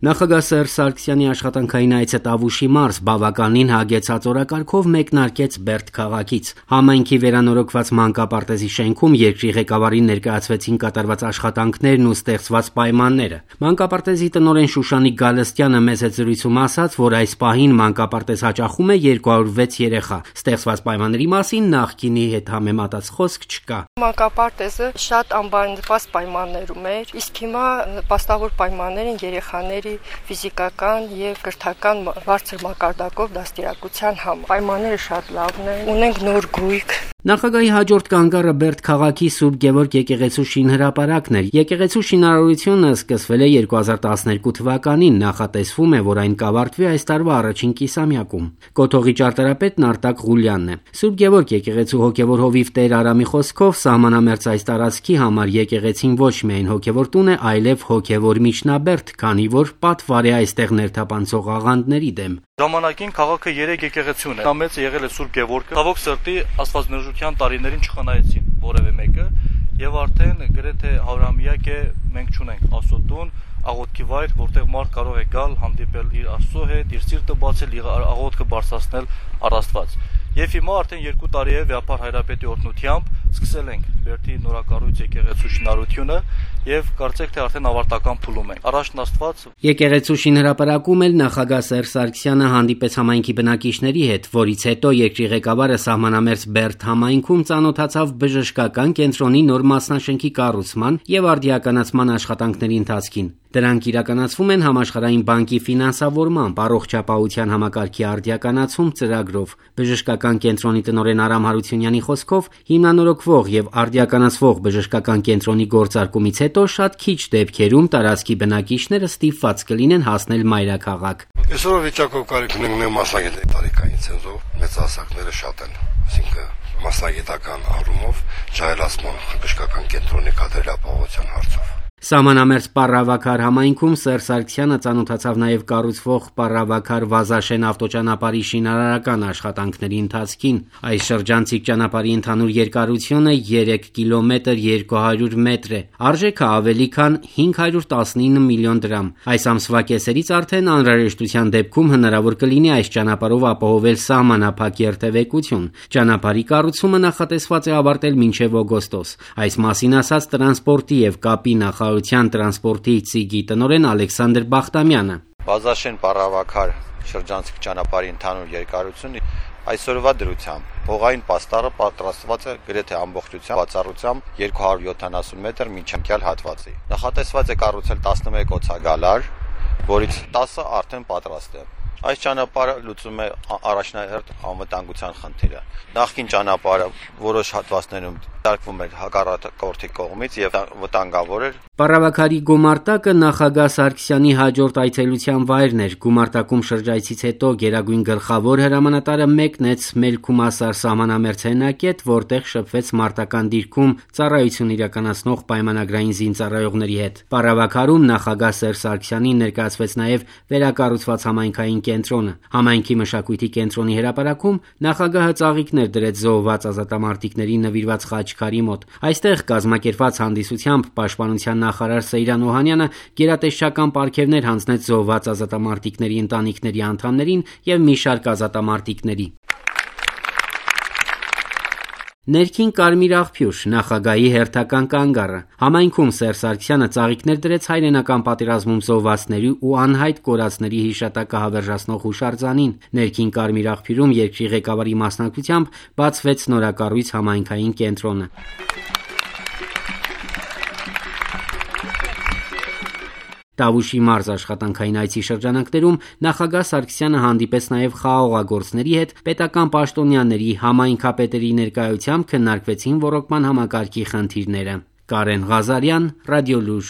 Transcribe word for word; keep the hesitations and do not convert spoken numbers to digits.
Նախագահ Սերժ Սարգսյանի աշխատանքային այցը Տավուշի մարզ բավականին հագեցած օրակարգով մեկնարկեց Բերդ քաղաքից։ Համայնքի վերանորոգված մանկապարտեզի շենքում երկրի ղեկավարին ներկայացվեցին կատարված աշխատանքներն ու ստեղծված պայմանները։ Մանկապարտեզի տնօրեն Շուշանիկ Գալստյանը մեծ զրույցում ասաց, որ այս պահին մանկապարտեզ հաճախում է երկու հարյուր վեց երեխա։ Ստեղծված պայմանների մասին նախկինի հետ համեմատած խոսք չկա։ Մանկապարտեզը շատ անբարենպաստ պայմաններում էր, իսկ հիմա նպաստավոր պայմաններ են երեխաների ֆիզիկական եւ կրթական բարձր մակարդակով դաստիարակության համար։ Պայմանները շատ լավն են, ունենք նոր գույք։ Նախագահի հաջորդ կանգառը Բերդ քաղաքի Սուրբ Գևորգ եկեղեցու շինհրապարակն էր։ Եկեղեցու շինարարությունը սկսվել է երկու հազար տասներկու թվականին, նախատեսվում է, որ այն կավարտվի այս տարվա առաջին կիսամյակում։ Կոթողի ճարտարապետն Արտակ Ղուլյանն է։ Սուրբ Գևորգ եկեղեցու հոգևոր հովիվ Տեր Արամի խոսքով սահմանամերձ այս տարածքի համար եկեղեցին ոչ միայն հոգևոր տուն է, այլև հոգևոր միջնաբերդ, քանի որ պատվար է այստեղ ներթափանցող աղանդների դեմ։ Ժամանակին քաղաքը երեք եկեղեցի ուներ։ Ամենից եղել է Սուրբ Գևորգը։ Ցավոք սրտի աստվածնրբության տարիներին չխնայեցին որևէ մեկը, եւ արդեն գրեթե հարյուրամյակ է մենք չունենք Աստծո աղոթքի վայր, որտեղ մարդ կարող է գալ, հանդիպել իր Աստծո հետ, իր սիրտը բացել, իր աղոթքը բարձրացնել առ Աստված։ Եվ հիմա արդեն երկու տարի է Վեհապար Հայրապետի օրհնությամբ սկսել ենք Բերդի նորակառույց եկեղեցու շինարարությունը եւ կարծեք թե արդեն ավարտական փուլում ենք։ Առաջն Աստված։ Եկեղեցու շինհրապարակում էլ նախագահ Սերժ Սարգսյանը հանդիպեց համայնքի բնակիչների հետ, որից հետո երկրի ղեկավարը սահմանամերձ Բերդ համայնքում ծանոթացավ բժշկական կենտրոնի նոր մասնաշենքի կառուցման եւ արդիականացման աշխատանքների ընթացքին։ Դրանք իրականացվում են Համաշխարհային բանկի ֆինանսավորմամբ, առողջապահության համակարգի արդիականացում ծրագրով։ Բժշկական կենտրոնի տնօրեն Արամ Հարությունյանի խոսքով հիմնանորոգվող եւ արդիականացվող բժշկական կենտրոնի գործարկումից հետո շատ քիչ դեպքերում տարածքի բնակիչները ստիպված կլինեն հասնել մայրաքաղաք։ Այսօր վիճակով կարիք ունենք մասնագետի տարիքային ցենզով, մեծահասակները շատ են, այսինքն մասնագիտական առումով ջահելացման բժշկական կենտրոնի կադրելապահության հարցով։ Սահմանամերձ Պառավաքար համայնքում Սերժ Սարգսյանը ծանոթացավ նաև կառուցվող Պառավաքար Վազաշեն ավտոճանապարհի շինարարական աշխատանքների ընթացքին։ Այս շրջանցիկ ճանապարհի ընդհանուր երկարությունը երեք կիլոմետր երկու հարյուր մետր է։ Արժեքը ավելի քան հինգ հարյուր տասնինը միլիոն դրամ։ Այս ամսվա կեսերից արդեն անհրաժեշտության դեպքում հնարավոր կլինի այս ճանապարհով ապահովել սահմանափակ երթևեկություն։ Ճանապարհի կառուցումը նախատեսված է ավարտել մինչև օգոստոս։ Այս մասին ասաց տրանսպորտի եւ կապի նախարարության տրանսպորտի ծիգի տնօրեն Ալեքսանդր Բախտամյանը։ Վազաշեն Պառավաքար շրջանցիկ ճանապարհի ընդհանուր երկարությունը այսօրվա դրությամբ հողային պաստառը պատրաստված է գրեթե ամբողջությամբ բացառությամբ երկու հարյուր յոթանասուն մետր միջանկյալ հատվածի։ Նախատեսված է կառուցել տասնմեկ օցագալար, որից տասը արդեն պատրաստ է։ Այս ճանապարհը լուծում է առաջնահերթ անվտանգության խնդիրը։ Նախկին ճանապարհը որոշ հատվածներում դարկվում էր հակառակորդի կողմից եւ վտանգավոր էր։ Պառավաքարի գումարտակը նախագահ Սարգսյանի հաջորդ այցելության վայրն էր։ Գումարտակում շրջայցից հետո Գերագույն գլխավոր հրամանատարը մեկնեց Մելքումասար սահմանամերձ հենակետ, որտեղ շփվեց մարտական դիրքում ծառայություն իրականացնող պայմանագրային զինծառայողների հետ։ Պառավաքարում նախագահ Սերժ Սարգսյանին ներկայացվեց նաև վերակառուցված համայնքային կենտրոնը։ Համայնքի մշակույթի կենտրոնի հրապարակում նախագահը ծաղիկներ դրեց զոհված ազատամարտիկներին նվիրված խաչքարի մոտ։ Այստեղ կազմակերպված հանդիսությամբ պաշտպանության նախարար Սեյրան Օհանյանը գերատեսչական պարգևներ հանձնեց զոհված ազատամարտիկների ընտանիքների անդամներին եւ մի շարք ազատամարտիկների։ Ներքին Կարմիր աղբյուր նախագահի հերթական կանգառը։ Համայնքում Սերժ Սարգսյանը ծաղիկներ դրեց հայրենական պատերազմում զոհվածների ու անհայտ կորածների հիշատակը հավերժացնող հուշարձանին։ Ներքին Կարմիր աղբյուրում երկրի ղեկավարի մասնակցությամբ բացվեց նորակառույց համայնքային կենտրոնը։ Տավուշի մարզ աշխատանքային այցի շրջանակներում նախագահ Սարգսյանը հանդիպեց նաև խաղաղագործների հետ, պետական պաշտոնյաների, համայնքապետերի ներկայությամբ քննարկվեցին ոռոգման համակարգի խնդիրները։ Կարեն Ղազարյան, Ռադիոլուր։